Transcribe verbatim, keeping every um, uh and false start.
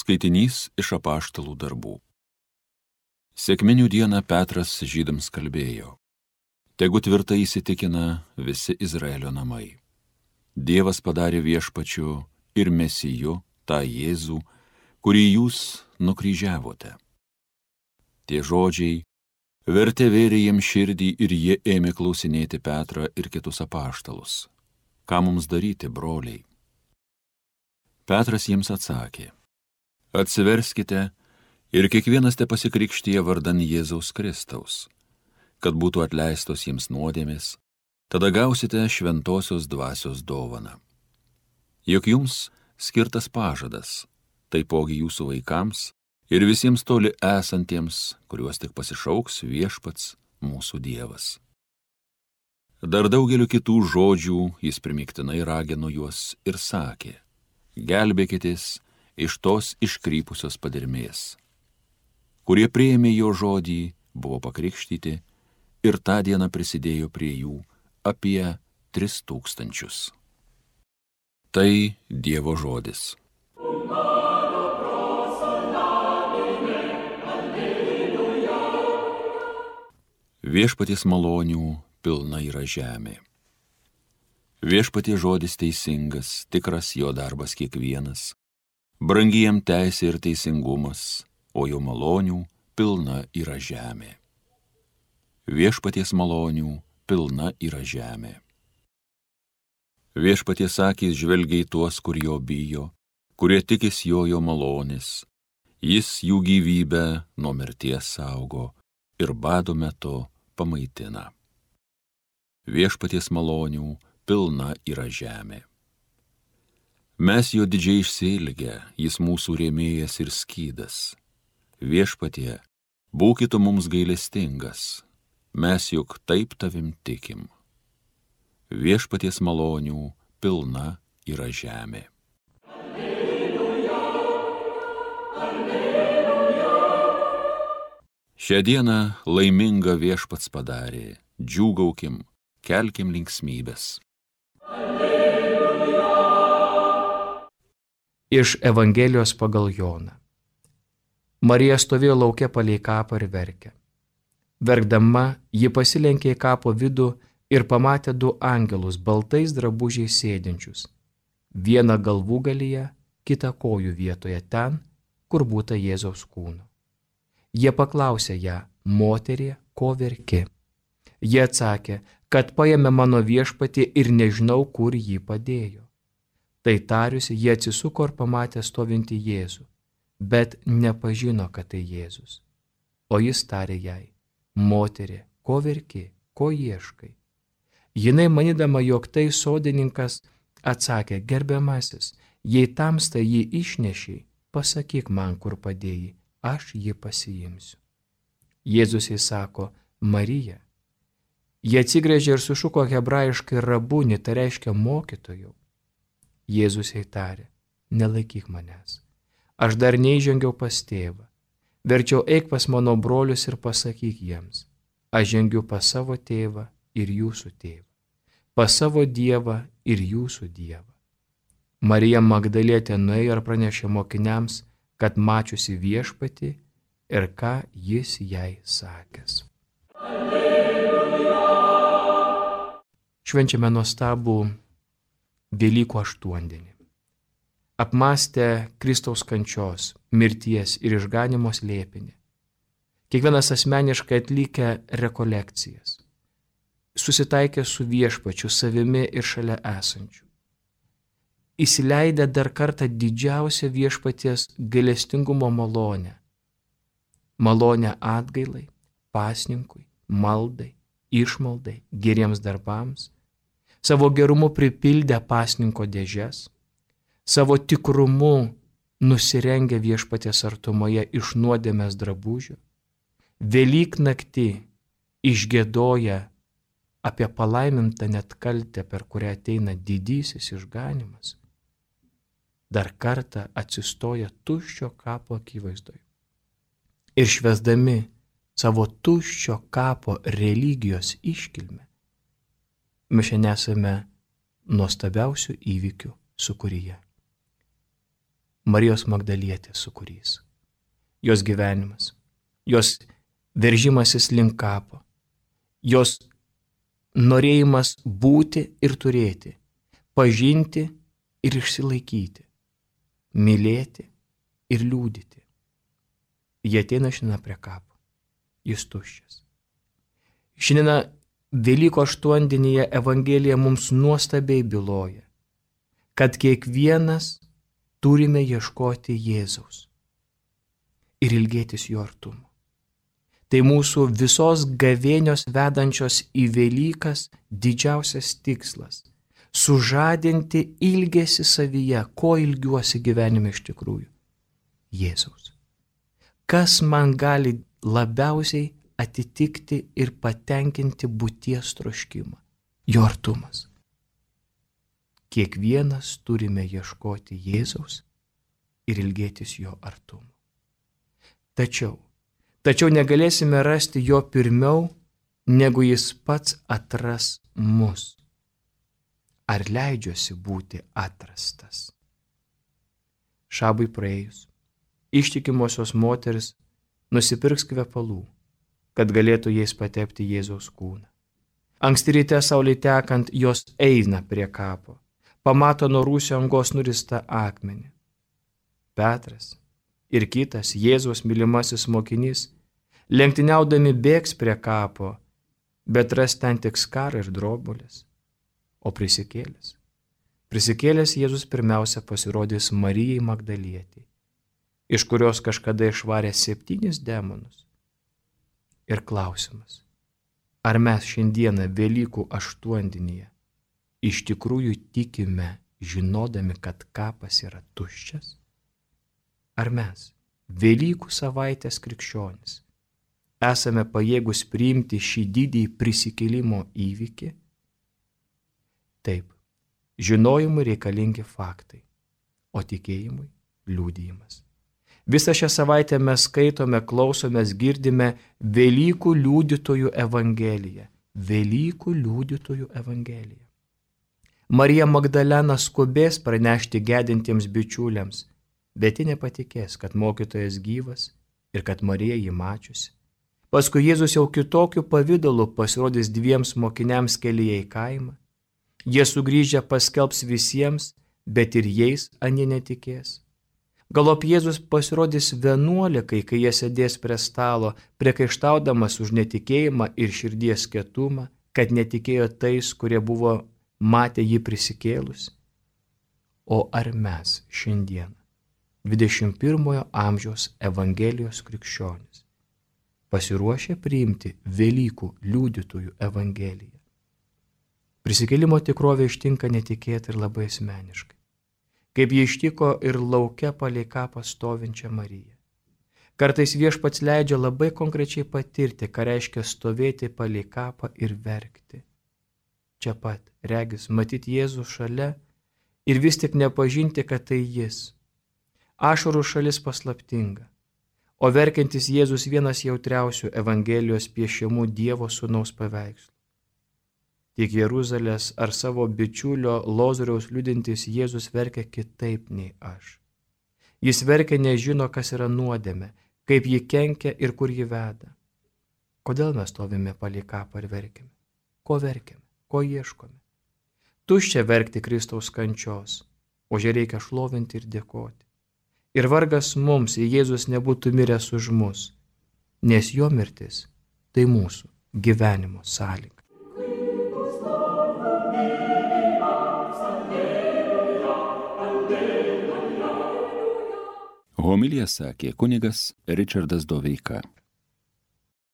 Skaitinys iš Apaštalų darbų. Sekminių dieną Petras žydams kalbėjo: Tegu tvirtai įsitikina visi Izraelio namai. Dievas padarė viešpačiu ir Mesiju tą Jėzų, kurį jūs nukryžiavote. Tie žodžiai vertė vėrė jiems širdį ir jie ėmė klausinėti Petrą ir kitus apaštalus: Ką mums daryti, broliai? Petras jiems atsakė: Atsiverskite ir kiekvienas te pasikrikštyje vardan Jėzaus Kristaus, kad būtų atleistos jiems nuodėmės, tada gausite šventosios dvasios dovaną. Juk jums skirtas pažadas, taipogi jūsų vaikams ir visiems toli esantiems, kuriuos tik pasišauks viešpats mūsų Dievas. Dar daugeliu kitų žodžių jis primygtinai ragino juos ir sakė: Gelbėkitės iš tos iškrypusios padermės. Kurie priėmė jo žodį, buvo pakrikštyti ir tą dieną prisidėjo prie jų apie tris tūkstančius. Tai Dievo žodis. Viešpaties malonių pilna yra žemė. Viešpaties žodis teisingas, tikras jo darbas kiekvienas, brangi jam teisė ir teisingumas, o jo malonių pilna yra žemė. Viešpaties malonių pilna yra žemė. Viešpaties akys žvelgia į tuos, kur jo bijo, kurie tikis jo jo malonės. Jis jų gyvybę nuo mirties saugo ir bado metu pamaitina. Viešpaties malonių pilna yra žemė. Mes jo didžiai išsiilgę, jis mūsų rėmėjas ir skydas. Viešpatie, būkite mums gailestingas, mes juk taip tavim tikim. Viešpaties malonių pilna yra žemė. Alleluja, alleluja. Šią dieną laimingą viešpats padarė, džiūgaukim, kelkim linksmybės. Iš Evangelijos pagal Joną. Marija stovėjo lauke palei kapą ir verkė. Verkdama, ji pasilenkė į kapo vidų ir pamatė du angelus baltais drabužiais sėdinčius. Vieną galvūgalyje, kitą kojų vietoje ten, kur būta Jėzaus kūno. Jie paklausė ją: Moterie, ko verki? Jie atsakė, kad paėmė mano viešpatį ir nežinau, kur jį padėjo. Tai tariusi, jie atsisuko ir pamatė stovintį Jėzų, bet nepažino, kad tai Jėzus. O jis tarė jai: Moterie, ko verki, ko ieškai? Jinai, manydama, jog tai sodininkas, atsakė: Gerbiamasis, jei tamsta jį išnešiai, pasakyk man, kur padėjai, aš jį pasiimsiu. Jėzus jai sako: Marija. Jie atsigręžė ir sušuko hebrajiškai rabuni, tai reiškia mokytojau. Jėzus jai tarė: Nelaikyk manęs, aš dar neįžengiau pas tėvą, verčiau eik pas mano brolius ir pasakyk jiems: Aš žengiu pas savo tėvą ir jūsų tėvą, pas savo Dievą ir jūsų Dievą. Marija Magdalietė nuėjo ir pranešė mokiniams, kad mačiusi viešpatį ir ką jis jai sakęs. Alleluja. Švenčiame nuostabų Velykų aštuondienį. Apmąstę Kristaus kančios, mirties ir išganimo slėpinį, kiekvienas asmeniškai atlikę rekolekcijas, susitaikę su viešpačiu, savimi ir šalia esančiu, įsileidę dar kartą didžiausią viešpaties gailestingumo malonę, malonę atgailai, pasninkui, maldai, išmaldai, geriems darbams, savo gerumu pripildę pasninko dėžes, savo tikrumu nusirengę viešpaties artumoje iš nuodėmės drabužių, Velyk naktį išgiedoję apie palaimintą net kaltę, per kurią ateina didysis išganimas, dar kartą atsistoja tuščio kapo akivaizdoje ir švęsdami savo tuščio kapo religijos iškilmę, mes šiandien esame nuostabiausių įvykių sūkuryje. Marijos Magdalietės sūkurys. Jos gyvenimas, jos veržimasis link kapo, jos norėjimas būti ir turėti, pažinti ir išsilaikyti, mylėti ir liūdyti. Jie ateina šiandien prie kapo, jis tuščias. Šiandien Velykų aštuondienyje Evangelija mums nuostabiai byloja, kad kiekvienas turime ieškoti Jėzaus ir ilgėtis jo artumo. Tai mūsų visos gavėnios vedančios į Velykas didžiausias tikslas - sužadinti ilgesį savyje, ko ilgiuosi gyvenime iš tikrųjų - Jėzaus. Kas man gali labiausiai atitikti ir patenkinti būties troškimą - jo artumas. Kiekvienas turime ieškoti Jėzaus ir ilgėtis jo artumo. Tačiau, tačiau negalėsime rasti jo pirmiau, negu jis pats atras mus. Ar leidžiuosi būti atrastas? Šabui praėjus, ištikimosios moteris nusipirks kvepalų, kad galėtų jais patepti Jėzaus kūną. Anksti ryte saulei tekant jos eina prie kapo, pamato nuo rūsio angos nuristą akmenį. Petras ir kitas Jėzaus mylimasis mokinys lenktyniaudami bėgs prie kapo, bet ras ten tik skarą ir drobulės. O prisikėlęs. Prisikėlęs Jėzus pirmiausia pasirodys Marijai Magdalietei, iš kurios kažkada išvarė septynis demonus. Ir klausimas, ar mes šiandieną Velykų aštuondienyje iš tikrųjų tikime, žinodami, kad kapas yra tuščias? Ar mes, Velykų savaitės krikščionys, esame pajėgus priimti šį didį prisikėlimo įvykį? Taip, žinojimui reikalingi faktai, o tikėjimui liudijimas. Visą šią savaitę mes skaitome, klausomės, girdime Velykų liudytojų evangeliją. Velykų liudytojų evangeliją. Marija Magdalena skubės pranešti gedintiems bičiuliams, bet ji nepatikės, kad mokytojas gyvas ir kad Marija jį mačiusi. Paskui Jėzus jau kitokiu pavidalu pasirodys dviems mokiniams kelyje į kaimą. Jie sugrįžę paskelbs visiems, bet ir jais anie netikės. Galop Jėzus pasirodys vienuolikai, kai jie sėdės prie stalo, priekaištaudamas už netikėjimą ir širdies kietumą, kad netikėjo tais, kurie buvo matę jį prisikėlus. O ar mes šiandien, dvidešimt pirmojo amžiaus Evangelijos krikščionys, pasiruošę priimti Velykų liudytojų Evangeliją? Prisikėlimo tikrovė ištinka netikėtai ir labai asmeniškai, kaip jie ištiko ir lauke palei kapą stovinčią Mariją. Kartais Viešpats leidžia labai konkrečiai patirti, ką reiškia stovėti palei kapą ir verkti. Čia pat, regis, matyti Jėzų šalia ir vis tik nepažinti, kad tai jis. Ašarų šalis paslaptinga, o verkiantis Jėzus vienas jautriausių Evangelijos piešiamų Dievo sūnaus paveikslų. Tik Jeruzalės ar savo bičiulio Lozoriaus liudintis Jėzus verkia kitaip nei aš. Jis verkia nežino, kas yra nuodėmė, kaip ji kenkia ir kur ji veda. Kodėl mes stovime palei kapą ir verkiame? Ko verkiame? Ko ieškome? Tuščia verkti Kristaus kančios, o ją reikia šlovinti ir dėkoti. Ir vargas mums, jei Jėzus nebūtų miręs už mus, nes jo mirtis tai mūsų gyvenimo sąlyga. Homiliją sakė kunigas Ričardas Doveika.